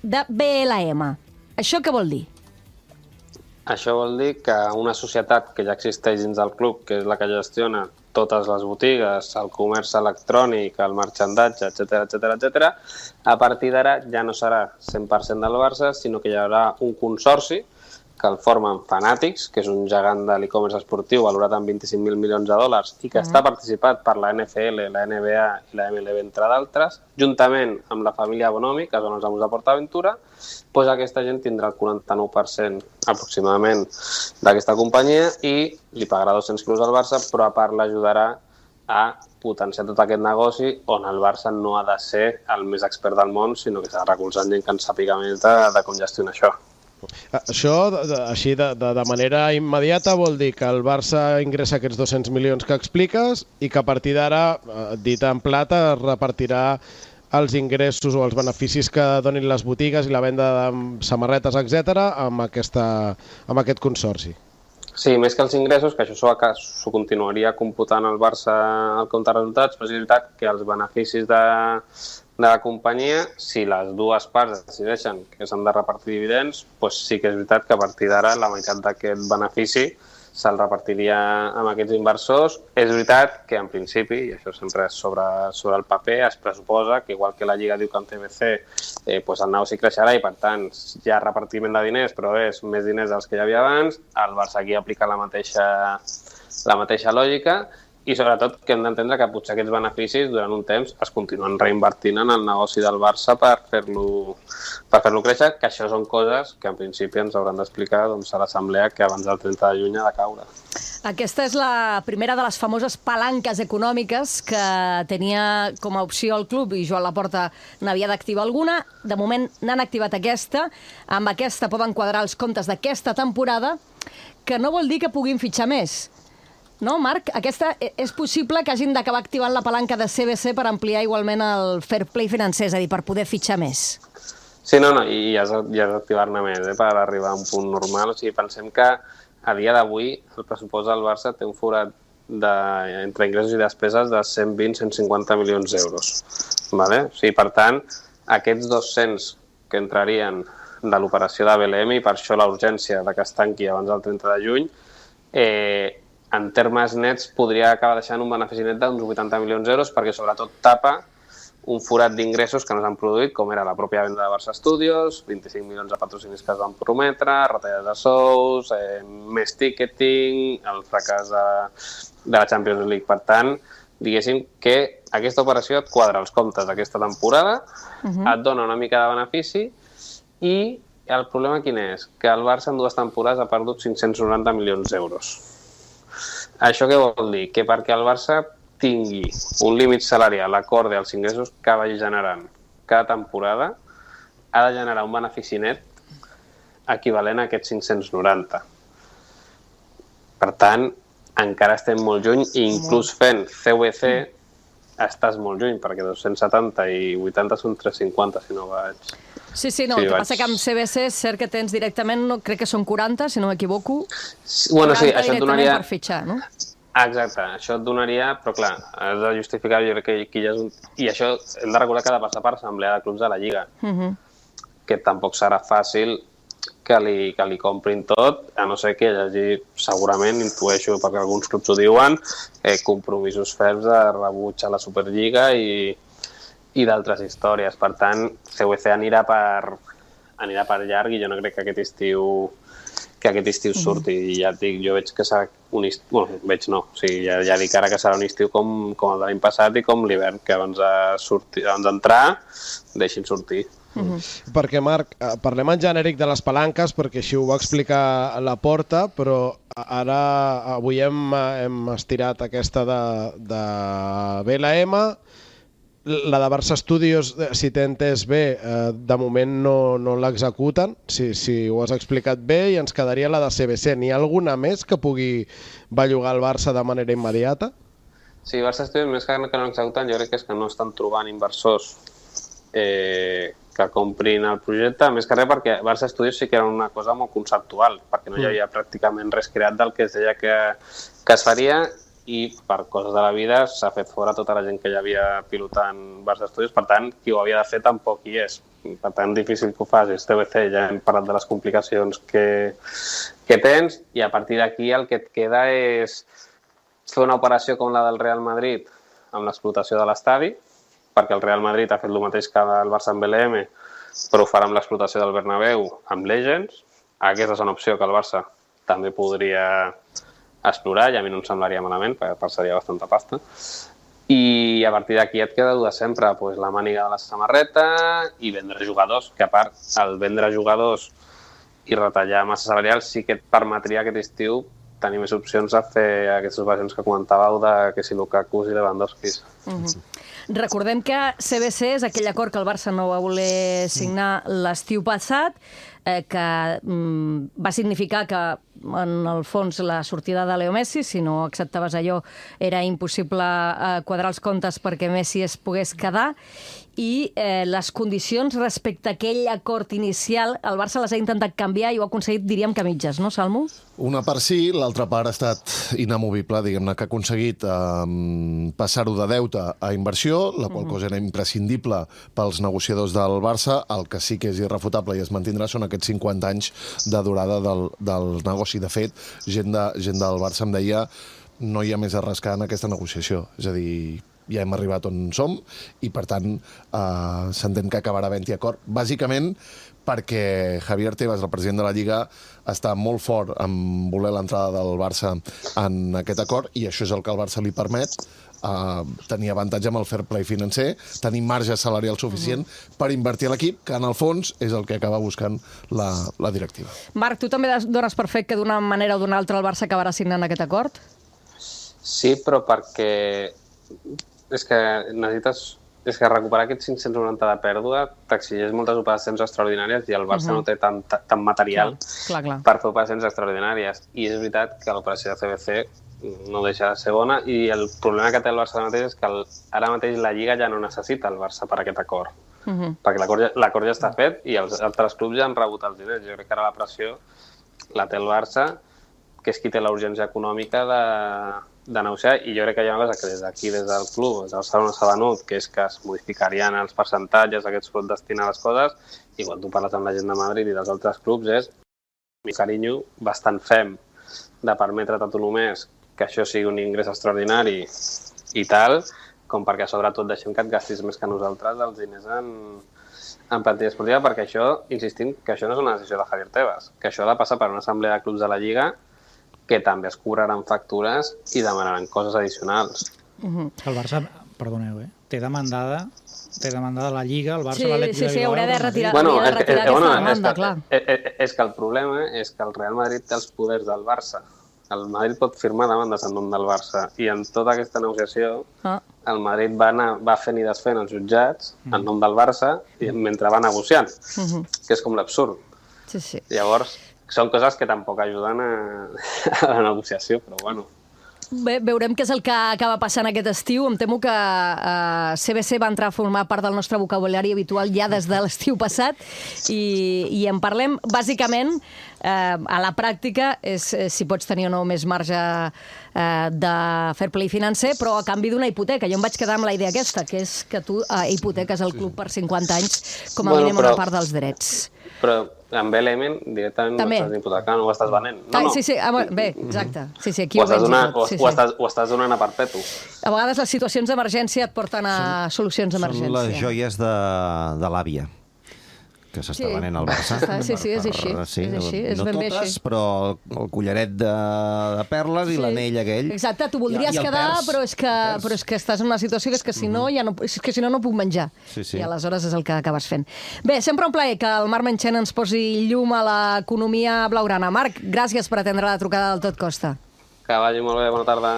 de BLM. Això què vol dir? Això vol dir que una societat que ja existeix dins del club, que és la que gestiona totes les botigues, el comerç electrònic, el marxandatge, etc, a partir d'ara ja no serà 100% del Barça, sinó que hi haurà un consorci que el formen Fanatics, que és un gegant de l'e-commerce esportiu valorat en 25.000 milions de dòlars i que està participat per la NFL, la NBA i la MLB, entre d'altres, juntament amb la família Bonomi, que són els amos de PortAventura, doncs aquesta gent tindrà el 49% aproximadament d'aquesta companyia i li pagarà 200 quilos al Barça, però a part l'ajudarà a potenciar tot aquest negoci on el Barça no ha de ser el més expert del món, sinó que s'ha de recolzar gent que en sàpiga més de com gestionar això. Això, així de manera immediata, vol dir que el Barça ingressa aquests 200 milions que expliques i que a partir d'ara, dit en plata, es repartirà els ingressos o els beneficis que donin les botigues i la venda de samarretes, etc., amb aquest consorci. Sí, més que els ingressos, que això s'ho continuaria computant el Barça al compte de resultats, però és veritat que els beneficis de la companyia, si les dues parts decideixen que s'han de repartir dividends, doncs sí que és veritat que a partir d'ara la meitat d'aquest benefici se'l repartiria amb aquests inversors. És veritat que en principi, i això sempre és sobre el paper, es pressuposa que igual que la Lliga diu que en CBC doncs el negoci creixerà i per tant hi ha repartiment de diners, però és més diners dels que hi havia abans, el Barça aquí aplica la mateixa lògica. I sobretot que hem d'entendre que potser aquests beneficis durant un temps es continuen reinvertint en el negoci del Barça per fer-lo créixer, que això són coses que en principi ens hauran d'explicar a l'assemblea que abans del 30 de juny ha de caure. Aquesta és la primera de les famoses palanques econòmiques que tenia com a opció el club i Joan Laporta n'havia d'activar alguna. De moment n'han activat aquesta. Amb aquesta poden quadrar els comptes d'aquesta temporada, que no vol dir que puguin fitxar més. No, Marc? És possible que hagin d'acabar activant la palanca de CBC per ampliar igualment el fair play financer, és a dir, per poder fitxar més. Sí, i has d'activar-ne més per arribar a un punt normal. O sigui, pensem que a dia d'avui el pressupost del Barça té un forat entre ingressos i despeses de 120-150 milions d'euros. Vale? O sigui, per tant, aquests 200 que entrarien de l'operació de BLM, i per això la urgència de que es tanqui abans del 30 de juny, en termes nets podria acabar deixant un benefici net d'uns 80 milions d'euros perquè sobretot tapa un forat d'ingressos que no s'han produït, com era la pròpia venda de Barça Studios, 25 milions de patrocinis que es van prometre, retallades de sous, més ticketing, el fracàs de la Champions League. Per tant, diguéssim que aquesta operació et quadra els comptes d'aquesta temporada, et dona una mica de benefici i el problema quin és? Que el Barça en 2 temporades ha perdut 590 milions d'euros. Això què vol dir? Que perquè el Barça tingui un límit salarial acorde als ingressos que vagi generant cada temporada, ha de generar un benefici net equivalent a aquests 590. Per tant, encara estem molt lluny i inclús fent CVC estàs molt lluny, perquè 270 i 80 són 350, si no vaig... Sí, no, el que passa que amb CBC és cert que tens directament, crec que són 40, si no m'equivoco, 40 directament per fitxar, no? Exacte, això et donaria, però clar, has de justificar, jo crec que aquí ja és un... I això hem de recordar que ha de passar per assemblea de clubs de la Lliga, que tampoc serà fàcil que li comprin tot, a no ser que hi hagi, segurament, intueixo, perquè alguns clubs ho diuen, compromisos ferms de rebuig a la Superliga i d'altres històries. Per tant, CVC anirà per llarg i jo no crec que aquest estiu surti. I ja et dic, jo veig que serà un estiu... Bueno, veig no. O sigui, ja dic ara que serà un estiu com el de l'any passat i com l'hivern, que abans d'entrar deixin sortir. Perquè, Marc, parlem en genèric de les palanques, perquè així ho va explicar Laporta, però ara avui hem estirat aquesta de BLM. La de Barça Studios, si t'he entès bé, de moment no l'executen, si ho has explicat bé, i ens quedaria la de CBC. N'hi ha alguna més que pugui bellugar el Barça de manera immediata? Sí, Barça Studios, més que no l'executen, jo crec que és que no estan trobant inversors que comprin el projecte, més que res perquè Barça Studios sí que era una cosa molt conceptual, perquè no hi havia pràcticament res creat del que es deia que es faria, i per coses de la vida s'ha fet fora tota la gent que hi havia pilotant Barça Studios, per tant, qui ho havia de fer tampoc hi és. Per tant, difícil que ho facis. TBC, ja hem parlat de les complicacions que tens, i a partir d'aquí el que et queda és fer una operació com la del Real Madrid amb l'explotació de l'estadi, perquè el Real Madrid ha fet el mateix que el Barça amb BLM, però ho farà amb l'explotació del Bernabéu amb Legends. Aquesta és una opció que el Barça també podria explorar, i a mi no em semblaria malament, perquè passaria bastanta pasta. I a partir d'aquí et queda dur de sempre, doncs, la màniga de la samarreta i vendre jugadors, que a part, el vendre jugadors i retallar massa salarial sí que et permetria aquest estiu tenir més opcions a fer aquestes operacions que comentàveu de que si Lukaku i Lewandowski. Recordem que CBC és aquell acord que el Barça no va voler signar l'estiu passat, que va significar que, en el fons, la sortida de Leo Messi, si no acceptaves allò, era impossible quadrar els comptes perquè Messi es pogués quedar, i les condicions respecte a aquell acord inicial, el Barça les ha intentat canviar i ho ha aconseguit, diríem, que a mitges, no, Salmo? Una part sí, l'altra part ha estat inamovible, diguem-ne, que ha aconseguit passar-ho de deute a inversió, la qual cosa era imprescindible pels negociadors del Barça. El que sí que és irrefutable i es mantindrà són aquests 50 anys de durada del negoci. De fet, gent del Barça em deia no hi ha més a rascar en aquesta negociació. És a dir, ja hem arribat on som i, per tant, s'entén que acabarà havent-hi acord. Bàsicament perquè Javier Tebas, el president de la Lliga, està molt fort en voler l'entrada del Barça en aquest acord, i això és el que al Barça li permet tenir avantatge amb el fair play financer, tenir marge salarial suficient per invertir a l'equip, que en el fons és el que acaba buscant la directiva. Marc, tu també dones per fet que d'una manera o d'una altra el Barça acabarà signant aquest acord? Sí, però perquè és que necessites recuperar aquests 590 de pèrdua t'exigeix moltes operacions extraordinàries i el Barça no té tant material per fer operacions extraordinàries. I és veritat que l'operació de CBC no deixa de ser bona, i el problema que té el Barça ara mateix és que ara mateix la Lliga ja no necessita el Barça per aquest acord. Perquè l'acord ja està fet i els altres clubs ja han rebut els diners. Jo crec que ara la pressió la té el Barça, que és qui té la urgència econòmica de negociar, i jo crec que hi ha una cosa que des d'aquí, des del club, des del Barcelona s'ha venut, que és que es modificarien els percentatges, aquests pot destinar les coses, i quan tu parles amb la gent de Madrid i dels altres clubs és un carinyo bastant fem de permetre't a tu només que això sigui un ingrés extraordinari i tal, com perquè sobretot deixem que et gastis més que nosaltres els diners en plantilla esportiva, perquè això, insistim, que això no és una decisió de Javier Tebas, que això ha de passar per una assemblea de clubs de la Lliga que també es cobraran factures i demanaran coses addicionals. El Barça, perdoneu, té demandada la Lliga, el Barça l'Atlètic Sí, haurà de retirar aquesta demanda, clar. És que el problema és que el Real Madrid té els poders del Barça. El Madrid pot firmar demandes en nom del Barça, i en tota aquesta negociació el Madrid va fent i desfent els jutjats en nom del Barça mentre va negociant, que és com l'absurd. Llavors, són coses que tampoc ajuden a la negociació, però bueno. Bé, veurem què és el que acaba passant aquest estiu. Em temo que CBC va entrar a formar part del nostre vocabulari habitual ja des de l'estiu passat, i en parlem bàsicament a la pràctica, és si pots tenir o no més marge de fair play financer, però a canvi d'una hipoteca. Jo em vaig quedar amb la idea aquesta, que és que tu hipoteques el club per 50 anys, com a mínim una part dels drets. Però amb BLM directament no estàs hipotecant, ho estàs venent. Sí, bé, exacte. Aquí ho estàs donant a perpetu. A vegades les situacions d'emergència et porten a solucions d'emergència. Són les joies de l'àvia que s'està venent al Barça. Sí, és així. No totes, però el collaret de perles i l'anell aquell. Exacte, tu voldries quedar, però és que estàs en una situació que és que si no no puc menjar. I aleshores és el que acabes fent. Bé, sempre un plaer que el Marc Menchen ens posi llum a l'economia blaugrana. Marc, gràcies per atendre la trucada del Tot Costa. Que vagi molt bé, bona tarda.